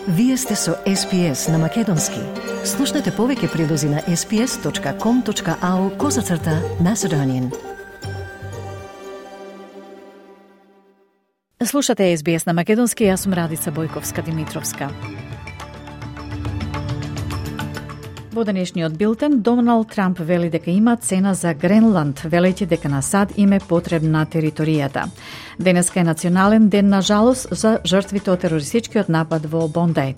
Вие сте со SPS на Македонски. Слушнете повеќе прилози на sps.com.au/Macedonian. Слушате SBS на Македонски, јас сум Радица Бојковска-Димитровска. Во денешниот билтен, Доналд Трамп вели дека има цена за Гренланд, велејќи дека на САД им е потребна територијата. Денеска е национален ден на жалост за жртвите од терористичкиот напад во Бондај.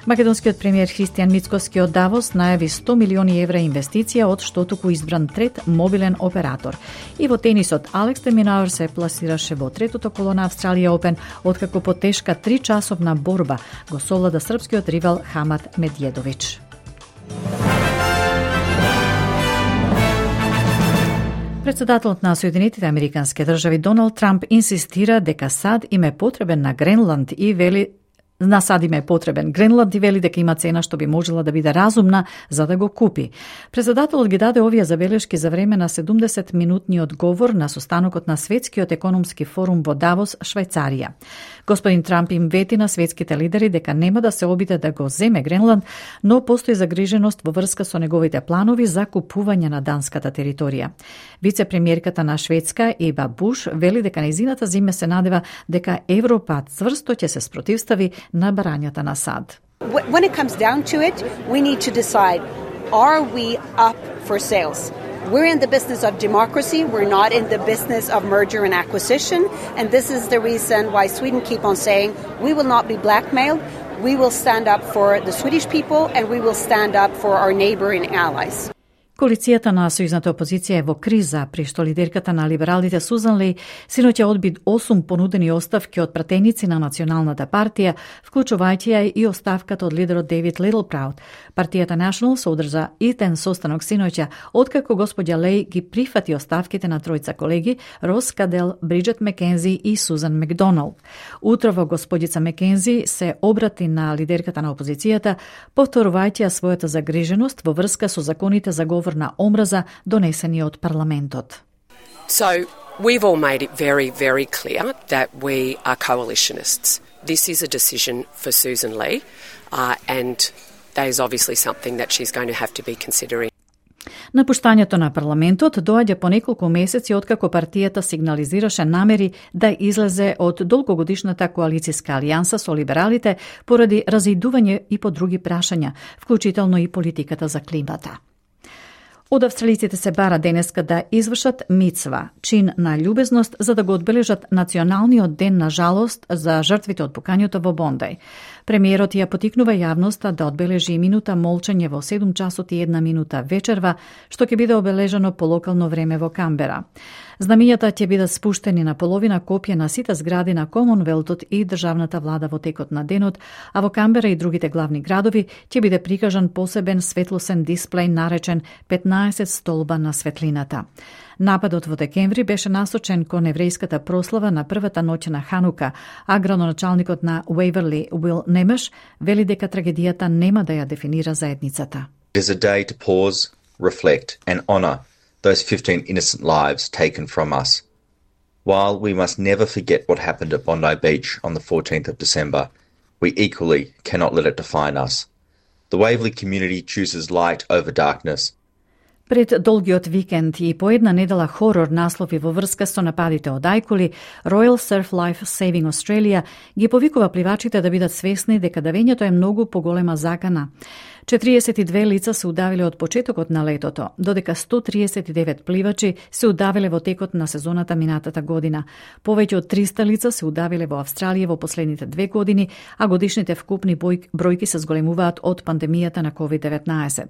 Македонскиот премиер Христијан Мицкоски од Давос најави 100 милиони евра инвестиција од што туку избран трет мобилен оператор. И во тенисот, Алекс де Минауер се пласираше во третото коло на Австралија Опен, откако по тешка 3-часовна борба го совлада српскиот ривал Хамат Медједович. Председателот на Соединетите Американски држави Доналд Трамп инсистира дека САД им е потребен на Гренланд и вели Гренланд и вели дека има цена што би можела да биде разумна за да го купи. Председателот ги даде овие забелешки за време на 70-минутниот говор на состанокот на Светскиот економски форум во Давос, Швајцарија. Господин Трамп им вети на светските лидери дека нема да се обиде да го земе Гренланд, но постои загриженост во врска со неговите планови за купување на данската територија. Вице-премиерката на Шведска, Еба Буш, вели дека нејзината зиме се надева дека Европа цврсто ќе се спротивстави на барањата на САД. When it comes down to it, we need to decide, are we up for sales? We're in the business of democracy. We're not in the business of merger and acquisition. And this is the reason why Sweden keep on saying we will not be blackmailed. We will stand up for the Swedish people and we will stand up for our neighboring allies. Коалицијата на сојузната опозиција е во криза, при што лидерката на либералите Сузан Леј синоќа одби 8 понудени оставки од пратеници на Националната партија, вклучувајќи ја и оставката од лидерот Дейвид Литлпраут. Партијата National се одржа итен состанок синоќа, откако господја Леј ги прифати оставките на тројца колеги, Рос Кадел, Бриджет Мекензи и Сузан Макдоналд. Утрово господица Мекензи се обрати на лидерката на опозицијата, повторувајќи ја својата загриженост во врска со законите за говор на омраза донесени од парламентот. So, we've all made it very, very clear that we are coalitionists. This is a decision for Susan Lee, and that is obviously something that she's going to have to be considering. Напуштањето на парламентот доаѓа по неколку месеци откако партијата сигнализираше намери да излезе од долгогодишната коалицијска алијанса со либералите поради разидување и по други прашања, вклучително и политиката за климата. Од австралиците се бара денеска да извршат мицва, чин на љубезност, за да го одбележат националниот ден на жалост за жртвите од пукањето во Бондај. Премиерот ја потикнува јавноста да одбележи минута молчење во 7 часот и 1 минута вечерва, што ќе биде обележано по локално време во Камбера. Знамињата ќе бидат спуштени на половина копија на сите згради на Комонвелтот и државната влада во текот на денот, а во Камбера и другите главни градови ќе биде прикажан посебен светлосен дисплеј наречен 15 столба на светлината. Нападот во декември беше насочен кон еврејската прослава на првата ноќ на Ханука, а градоначалникот на Уейверли, Уил Немеш, вели дека трагедијата нема да ја дефинира заедницата. It is a day to pause, reflect and honour those 15 innocent lives taken from us. While we must never forget what happened at Bondi Beach on the 14th of December, we equally cannot let it define us. The Waverley community chooses light over darkness. Пред долгиот викенд и по една недела хорор наслови во врска со нападите од ајкули, Royal Surf Life Saving Australia ги повикува пливачите да бидат свесни дека давењето е многу поголема закана. 42 лица се удавиле од почетокот на летото, додека 139 пливачи се удавиле во текот на сезоната минатата година. Повеќе од 300 лица се удавиле во Австралија во последните 2 години, а годишните вкупни бројки се зголемуваат од пандемијата на COVID-19.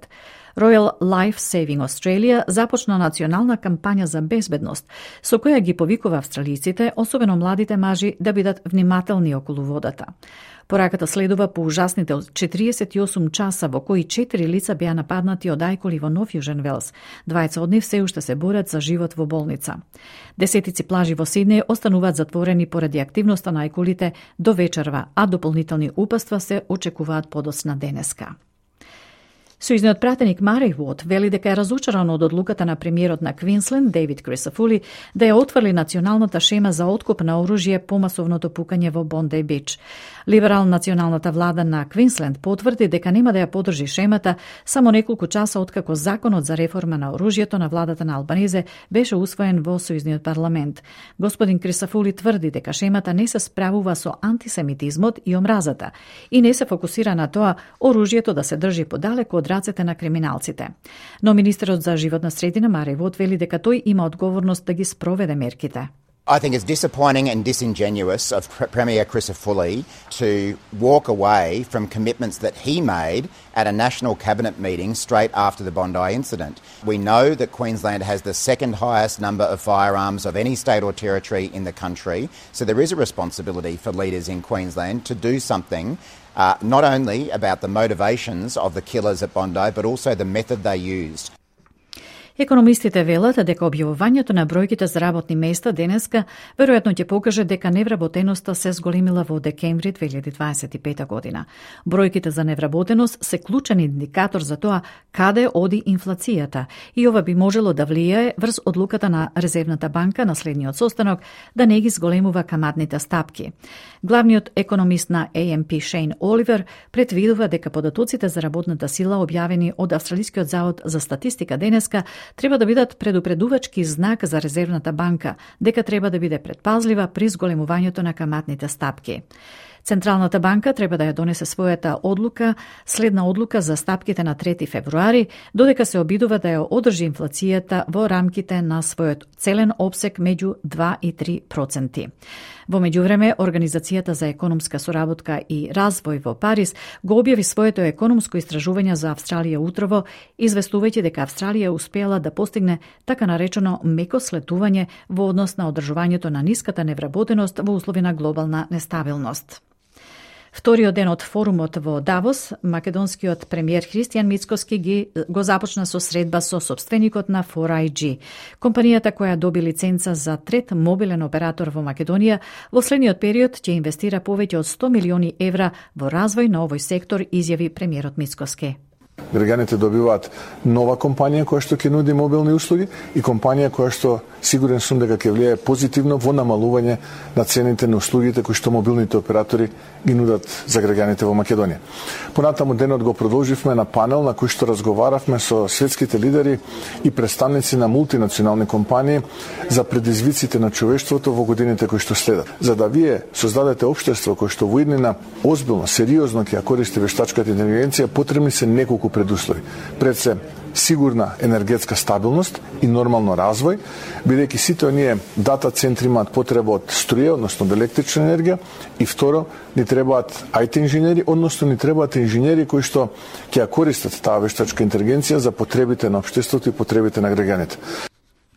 Royal Life Saving Australia започна национална кампања за безбедност, со која ги повикува австралиците, особено младите мажи, да бидат внимателни околу водата. Пораката следува по ужасните 48 часа во кои 4 лица беа нападнати од ајкули во Нов Јужен Велс. Двајца од нив се уште се борат за живот во болница. Десетици плажи во Сиднеј остануваат затворени поради активноста на ајкулите до вечерва, а дополнителни упатства се очекуваат подоцна денеска. Сојузниот пратеник Мари Вот вели дека е разочаран од одлуката на премиерот на Квинсленд Дейвид Крисафули да ја отврли националната шема за откуп на оружје по масовното пукање во Бондеј Бич. Либерал-националната влада на Квинсленд потврди дека нема да ја подржи шемата само неколку часа откако законот за реформа на оружјето на владата на Албанезе беше усвоен во Сојузниот парламент. Господин Крисафули тврди дека шемата не се справува со антисемитизмот и омразата и не се фокусира на тоа оружјето да се држи подалеку од рацете на криминалците. Но министерот за животна средина Мари Вот вели дека тој има одговорност да ги спроведе мерките. I think it's disappointing and disingenuous of Premier Crisafulli to walk away from commitments that he made at a national cabinet meeting straight after the Bondi incident. We know that Queensland has the second highest number of firearms of any state or territory in the country, so there is a responsibility for leaders in Queensland to do something not only about the motivations of the killers at Bondi, but also the method they used. Економистите велат дека објавувањето на бројките за работни места денеска веројатно ќе покаже дека невработеноста се зголемила во декември 2025 година. Бројките за невработеност се клучен индикатор за тоа каде оди инфлацијата и ова би можело да влијае врз одлуката на Резервната банка на следниот состанок да не ги зголемува каматните стапки. Главниот економист на AMP Шейн Оливер предвидува дека податоците за работната сила објавени од Австралискиот завод за статистика денеска треба да бидат предупредувачки знак за Резервната банка, дека треба да биде предпазлива при зголемувањето на каматните стапки. Централната банка треба да ја донесе својата одлука, следна одлука за стапките на 3 февруари, додека се обидува да ја одржи инфлацијата во рамките на својот целен опсек меѓу 2 и 3%. Во меѓувреме, Организацијата за економска соработка и развој во Париз го објави своето економско истражување за Австралија утрово, известувајќи дека Австралија успеала да постигне така наречено меко слетување во однос на одржувањето на ниската невработеност во услови на глобална нестабилност. Вториот ден од форумот во Давос, македонскиот премиер Христијан Мицкоски го започна со средба со собственикот на 4iG, компанијата која доби лиценца за трет мобилен оператор во Македонија, во следниот период ќе инвестира повеќе од 100 милиони евра во развој на овој сектор, изјави премиерот Мицкоски. Граѓаните добиваат нова компанија која што ќе нуди мобилни услуги и компанија која што сигурен сум дека ќе влијае позитивно во намалување на цените на услугите кои што мобилните оператори ги нудат за граѓаните во Македонија. Понатаму денот го продолживме на панел на кој што разговаравме со светските лидери и представници на мултинационални компании за предизвиците на човештвото во годините кои што следат. За да вие создадете општество кој што во иднина озбилно, сериозно ќе ја користи вештачката интелигенција, потребни се неколку предуслови. Пред се сигурна енергетска стабилност и нормално развој, бидејќи сите оние дата центри имаат потреба од струја, односно од електрична енергија, и второ, ни требаат IT инженери, односно ни требаат инженери кои што ќе ја користат таа вештачка интелигенција за потребите на општеството и потребите на граѓаните.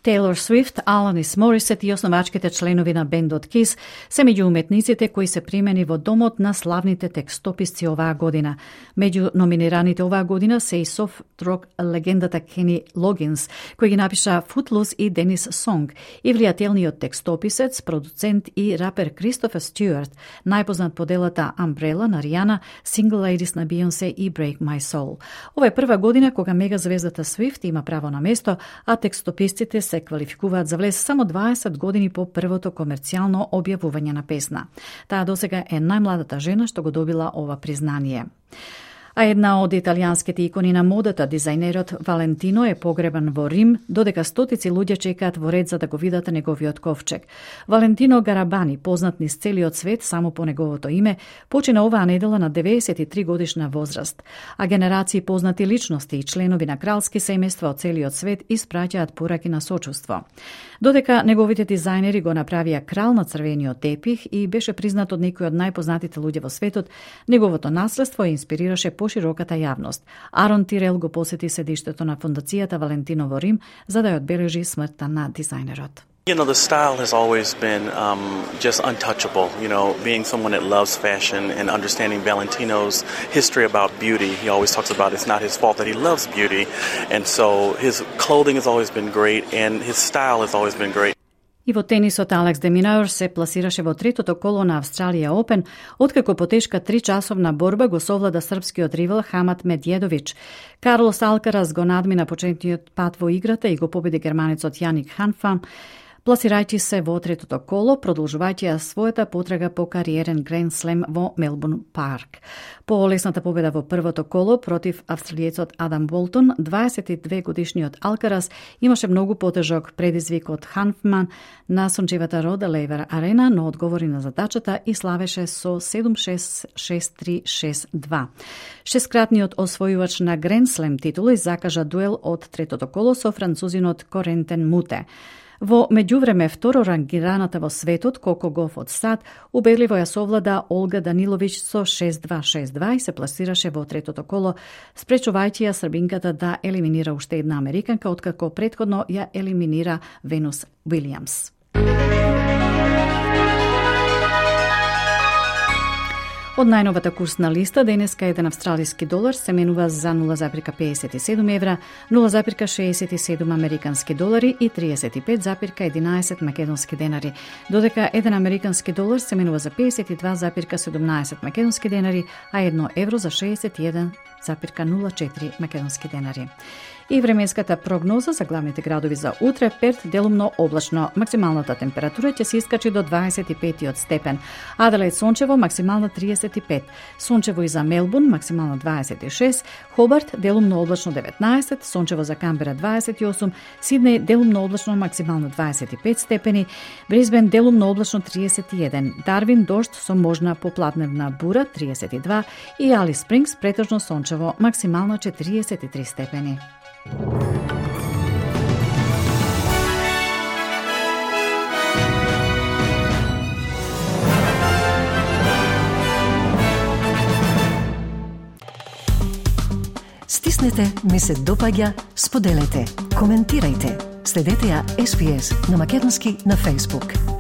Тейлор Свифт, Аланис Морисет и основачките членови на бендот Kiss се меѓу уметниците кои се примени во домот на славните текстописци оваа година. Меѓу номинираните оваа година се и софт-рок легендата Кени Логинс, кој ги напиша Footloose и Денис Сонг, и влијателниот текстописец, продуцент и рапер Кристофер Стюарт, најпознат по делата Umbrella на Ријана, Single Ladies на Beyoncé и Break My Soul. Ова е прва година кога мегазвездата Свифт има право на место, а текстописците се квалификуваат за влез само 20 години по првото комерцијално објавување на песна. Таа досега е најмладата жена што го добила ова признание. А една од италијанските икони на модата, дизајнерот Валентино, е погребан во Рим, додека стотици луѓе чекаат во ред за да го видат неговиот ковчег. Валентино Гарабани, познат низ целиот свет само по неговото име, почина оваа недела на 93 годишна возраст. А генерации познати личности и членови на кралски семејства од целиот свет испраќаат пораки на сочувство. Додека неговите дизајнери го направија крал на црвениот тепих и беше признат од некои од најпознатите луѓе во светот, неговото наследство инспирираше пошироката јавност. Арон Тирел го посети седиштето на фондацијата Валентино во Рим за да ја одбележи смртта на дизајнерот. You know, the style has always been just untouchable. You know, being someone that loves fashion and understanding Valentino's history about beauty, he always talks about it's not his fault that he loves beauty. And so his clothing has always been great and his style has always been great. И во тенисот Алекс де Минаур се пласираше во третото коло на Австралија Опен, откако по тешка 3-часовна борба го совлада српскиот ривал Хамат Медједович. Карлос Алкарас го надмина почетниот пат во играта и го победи германецот Јаник Ханфам, пласирајќи се во третото коло, продолжувајќи ја својата потрага по кариерен Гранд Слем во Мелбурн парк. По лесната победа во првото коло против австралиецот Адам Болтон, 22 годишниот Алкарас имаше многу потежок предизвик од Ханфман на сончевата Рода Лейвер арена, но одговори на задачата и славеше со 7-6, 6-3, 6-2. Шесткратниот освојувач на Гранд Слем титули закажа дуел од третото коло со французинот Корентен Муте. Во меѓувреме второрангираната во светот Коко Гоф од САД убедливо ја совлада Олга Даниловиќ со 6-2, 6-2 и се пласираше во третото коло, спречувајќи ја србинката да елиминира уште една американка, откако претходно ја елиминира Венус Уилијамс. Од најновата курсна листа, денеска еден австралиски долар се менува за 0,57 евра, 0,67 американски долари и 35,11 македонски денари, додека еден американски долар се менува за 52,17 македонски денари, а 1 евро за 61,04 македонски денари. И временската прогноза за главните градови за утре: Перт делумно облачно, максималната температура ќе се искачи до 25 степен, Аделаид сончево, максимална 35, сончево и за Мелбурн, максимална 26, Хобарт делумно облачно 19, сончево за Камбера 28, Сиднеј делумно облачно, максимална 25 степени, Брисбен делумно облачно 31, Дарвин дожд со можна поплатневна бура 32 и Алис Спрингс претежно сончево, максимална 43 степени. Стиснете, ми се допаѓа, споделете, коментирајте. Следете ја SPS на Македонски на Facebook.